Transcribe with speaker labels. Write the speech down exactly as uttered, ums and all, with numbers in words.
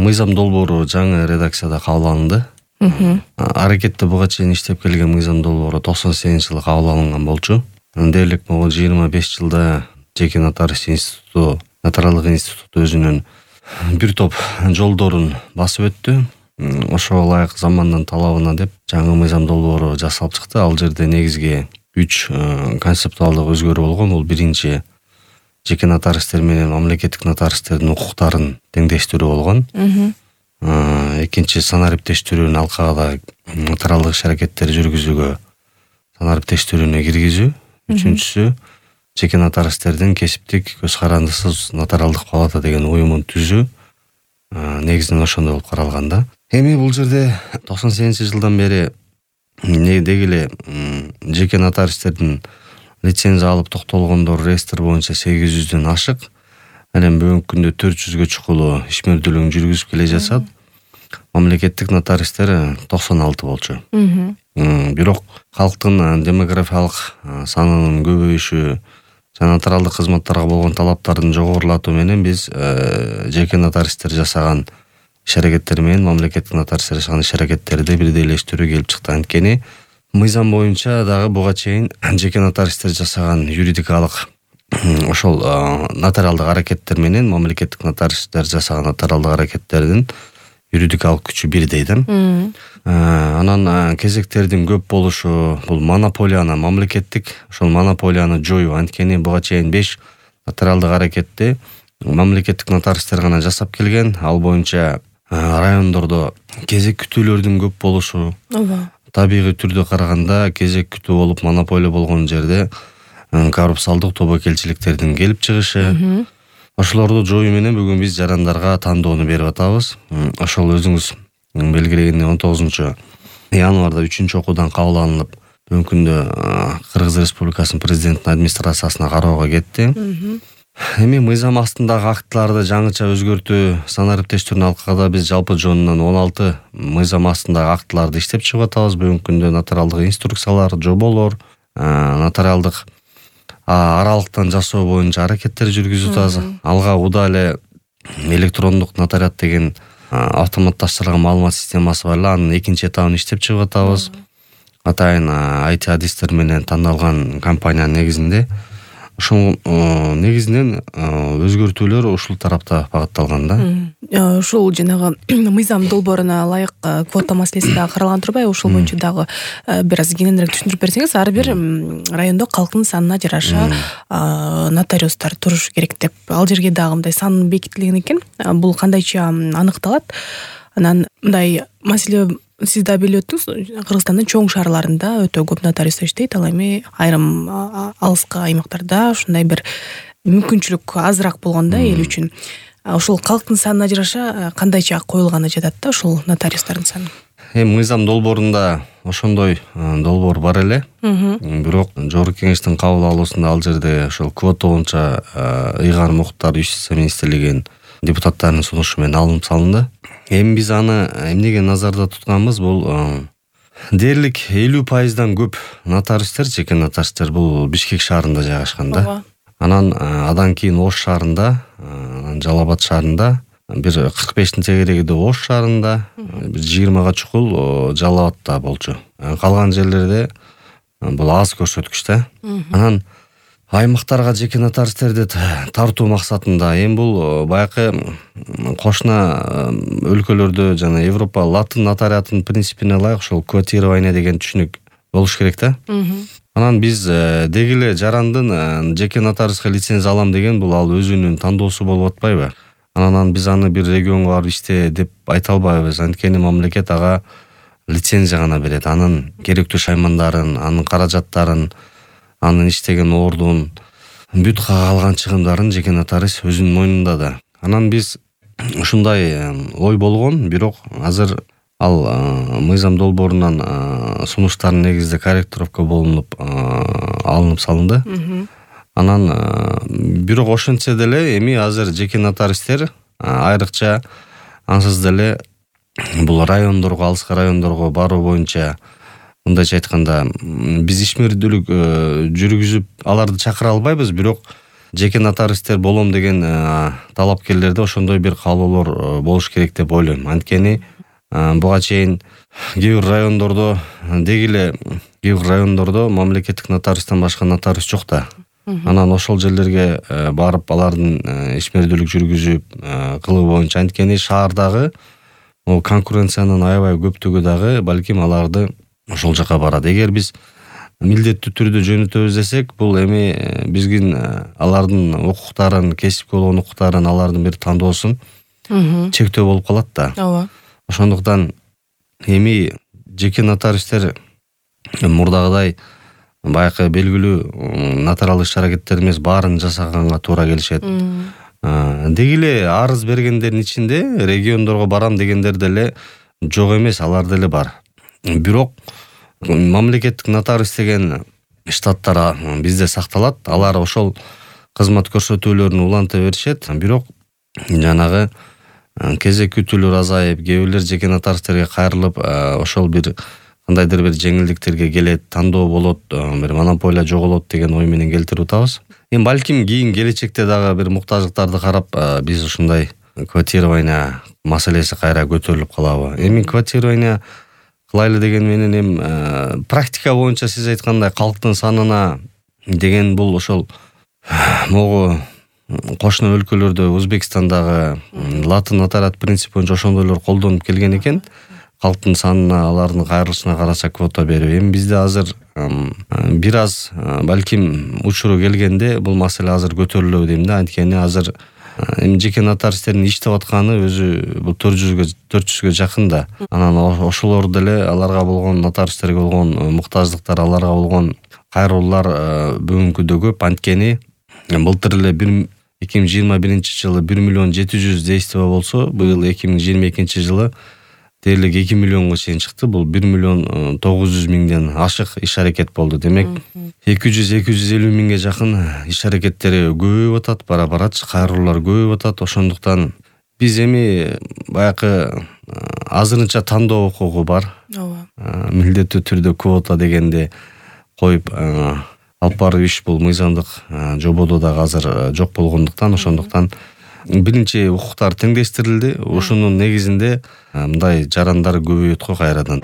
Speaker 1: мыйзам долбоору жаңы редакцияда кабыл алынды. Аракетте буга чейин иштеп келген мыйзам долбоору токсон сегизинчи жылы кабыл алынган болчу. Дээрлик могу жыйырма беш жылда жеке нотариус институту, нотариалдык институту өзүнүн бир топ жолдорун басып өттү. Ошого ылайык замандын талабына деп жаңы мыйзам долбоору жасалып чыкты. Ал жерде негизги үч концептуалдык өзгөрүү болгон. Бул биринчи жеке нотариустер менен мамлекеттик нотариустердин укуктарын теңдештирүү болгон. Экинчи санариптештирүүнү алкагда нотариалдык иш-аракеттер жүргүзүүгө санариптештирүүнү киргизүү. Үчүнчүсү жеке нотариустердин кесиптик көз карандысыз нотариалдык палата деген уюмун түзүү. Негизинен ошондой болуп каралган да. Эми бул жерде токсон сегизинчи жылдан бери деги эле жеке нотариустердин лицензия алып токтолгондор реестр боюнча сегиз жүздөн ашык. Анан бүгүнкү күндө төрт жүзгө чукулуу ишмердүүлүгүн жүргүзүп келе жатат. Мамлекеттик нотариустер токсон алты болчу. Бирок калктын демографиялык санынын көбөйүшү жана нотариалдык кызматтарга болгон талаптардын жогорулатуу менен биз жеке нотариустер жасаган иш-аракеттер менен мамлекеттик нотариустер жасаган иш-аракеттерди бирдейлештирүү келип чыкты. Анткени мыйзам боюнча дагы буга чейин жеке нотариустер жасаган юридикалык ошол нотариалдык аракеттер менен мамлекеттик нотариустер жасаган нотариалдык аракеттердин юридикалык күчү бирдей да. Анан кезектердин көп болушу бул монополияны мамлекеттик ошол монополияны жоюу. Анткени буга чейин беш нотариалдык аракетти мамлекеттик нотариустер гана жасап келген. Ал боюнча райондордо кезек күтүүлөрдүн көп болушу. Табигый түрдө караганда кезек күтүү болуп монополия болгон жерде коррупциялдык тобокелчиликтердин келип чыгышы. Ошолорду жоюу менен бүгүн биз жарандарга тандоону берип атабыз. Ошол өзүңүз белгилегендей он тогузунчу январда үчүнчү окуудан кабыл алынып, бүгүнкү күндө Кыргыз Республикасынын президентинин администрациясына кароого кетти. Эми мыйзам астындагы актыларды жаңыча өзгөртүү санариптештирүүнү алкагда биз жалпы жонунан он алты мыйзам астындагы актыларды иштеп чыгып атабыз. Бүгүнкү күндө нотариалдык инструкциялар, жоболор, нотариалдык аралыктан жасоо боюнча аракеттер жүргүзүп атабыз. Алга уда эле электрондук нотариат деген автоматташтырылган маалымат системасы бар эле. Анын экинчи этабын иштеп чыгып атабыз. Атайын ай ти адистер менен тандалган компаниянын негизинде. Ошол негизинен өзгөртүүлөр ушул тарапта багытталган да.
Speaker 2: Ушул жанагы мыйзам долбооруна ылайык квота маселеси дагы каралган турбайбы? Ошол боюнча дагы бир аз кененирээк түшүндүрүп берсеңиз, ар бир райондо калктын санына жараша нотариустар турушу керек деп. Ал жерге дагы мындай сан бекитилген экен. Бул кандайча аныкталат? Анан мындай маселе сиз да билип өттүңүз, Кыргызстандын чоң шаарларында өтө көп нотариустар иштейт. Ал эми айрым алыскы аймактарда ушундай бир мүмкүнчүлүк азыраак болгондо эл үчүн. Ошол калктын санына жараша кандайча коюлганы жатат да ошол нотариустардын саны?
Speaker 1: Эми мыйзам долбоорунда ошондой долбоор бар эле. Бирок Жогорку Кеңештин кабыл алуусунда ал жерде ошол квота боюнча ыйгарым укуктар Юстиция министрлигинин депутаттарынын сунушу менен алынып салынды. Эми биз аны эмнеге назарда тутканбыз? Бул дээрлик элүү пайыздан көп нотариустер, жеке нотариустер бул Бишкек шаарында жайгашкан да. Анан адан кийин Ош шаарында, анан Жалал Абад шаарында, бир кырк бештин тегерегиде Ош шаарында, бир жыйырмага чукул Жалал Абадта болчу. Калган жерлерде бул аз көрсөткүч да. Анан аймактарга жеке нотариустерди тартуу максатында эми бул баягы кошуна өлкөлөрдө жана Европа латын нотариатынын принципине ылайык ошол квотирование деген түшүнүк болуш керек да. Анан биз деги эле жарандын жеке нотариуска лицензия алам деген бул ал өзүнүн тандоосу болуп атпайбы? Анан биз аны бир регионго барып иште деп айта албайбыз. Анткени мамлекет ага лицензия гана берет. Анын керектүү шаймандарын, анын каражаттарын, анын иштеген ордун, бүт калган чыгымдарын жеке нотариус өзүнүн мойнунда да. Анан биз ушундай ой болгон, бирок азыр ал мыйзам долбоорунан сунуштардын негизинде корректировка болуп алынып салынды. Анан бирок ошентсе деле эми азыр жеке нотариустер айрыкча ансыз деле бул райондорго, алыскы райондорго баруу боюнча, мындайча айтканда, биз ишмердүүлүк жүргүзүп аларды чакыра албайбыз, бирок жеке нотариустер болом деген талапкерлерде ошондой бир каалоолор болуш керек деп ойлойм. Анткени буга чейин кээ бир райондордо деги эле кээ бир райондордо мамлекеттик нотариустан башка нотариус жок да. Анан ошол жерлерге барып алардын ишмердүүлүк жүргүзүп кылуу боюнча, анткени шаардагы конкуренциянын аябай көптүгү дагы балким аларды ошол жака барат. Эгер биз милдеттүү түрдө жөнөтөбүз десек, бул эми биздин алардын укуктарын, кесипке болгон укуктарын, алардын бир тандоосун чектөө болуп калат да.
Speaker 2: Ооба.
Speaker 1: Ошондуктан эми жеке нотариустер мурдагыдай баягы белгилүү нотариалдык иш-аракеттер эмес, баарын жасаганга туура келишет. Деги эле арыз бергендердин ичинде региондорго барам дегендер деле жок эмес, алар деле бар. Бирок мамлекеттик нотариус деген штаттар бизде сакталат. Алар ошол кызмат көрсөтүүлөрүн уланта беришет. Бирок жанагы кезек күтүүлөр азайып, кээ бирлер жеке нотариустерге кайрылып, ошол бир кандайдыр бир жеңилдиктерге келет, тандоо болот, бир монополия жоголот деген ой менен келтирип атабыз. Эми балким кийин келечекте дагы бир муктаждыктарды карап, биз ушундай квотирование маселеси кайра көтөрүлүп калабы. Эми квотирование кылайлы деген менен эми практика боюнча сиз айткандай калктын санына деген бул ошол могу кошуна өлкөлөрдө, Өзбекстандагы латын нотариат принцип боюнча ошондойлор колдонуп келген экен. Калктын санына, алардын кайрылышына караса квота берүү. Эми бизде азыр бир аз балким учуру келгенде бул маселе азыр көтөрүлөбү дейм да. Анткени азыр эми жеке нотариустердин иштеп атканы өзү бул төрт жүзгө жакын да. Анан ошолор деле аларга болгон, нотариустерге болгон муктаждыктар, аларга болгон кайрылуулар бүгүнкү күндө көп. Анткени былтыр эле эки миң жыйырма биринчи жылы бир миллион жети жүз действо болсо, быйыл эки миң жыйырма экинчи жылы дээрлик эки миллионго чейин чыкты. Бул бир миллион тогуз жүз миңден ашык иш-аракет болду. Демек эки жүз эки жүз элүү миңге жакын иш-аракеттери көбөйүп атат, бара-бара кайрылуулар көбөйүп атат. Ошондуктан биз эми баягы азырынча тандоо укугу бар.
Speaker 2: Ооба.
Speaker 1: Милдеттүү түрдө квота дегенди коюп алып баруу иш бул мыйзамдык жободо дагы азыр жок болгондуктан, ошондуктан биринчи укуктар теңдештирилди. Ошонун негизинде мындай жарандар көбөйөт го кайрадан.